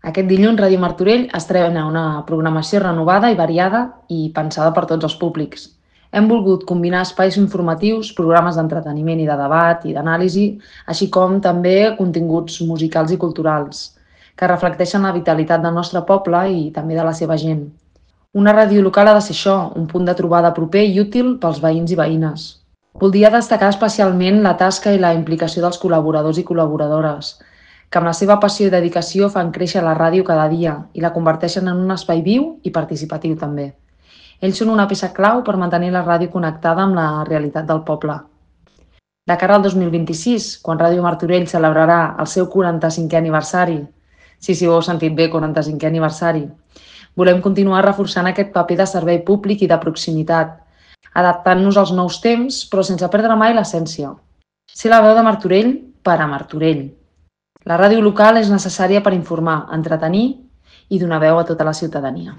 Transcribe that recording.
Aquest dilluns Ràdio Martorell estrena una programació renovada i variada i pensada per tots els públics. Hem volgut combinar espais informatius, programes d'entreteniment i de debat i d'anàlisi, així com també continguts musicals i culturals, que reflecteixen la vitalitat del nostre poble i també de la seva gent. Una ràdio local ha de ser això, un punt de trobada proper i útil pels veïns i veïnes. Voldria destacar especialment la tasca i la implicació dels col·laboradors i col·laboradores, que amb la seva passió i dedicació fan créixer la ràdio cada dia i la converteixen en un espai viu i participatiu també. Ells són una peça clau per mantenir la ràdio connectada amb la realitat del poble. De cara al 2026, quan Ràdio Martorell celebrarà el seu 45è aniversari, sí, ho heu sentit bé, 45è aniversari, volem continuar reforçant aquest paper de servei públic i de proximitat, adaptant-nos als nous temps, però sense perdre mai l'essència. Ser la veu de Martorell per a Martorell. La ràdio local és necessària per informar, entretenir i donar veu a tota la ciutadania.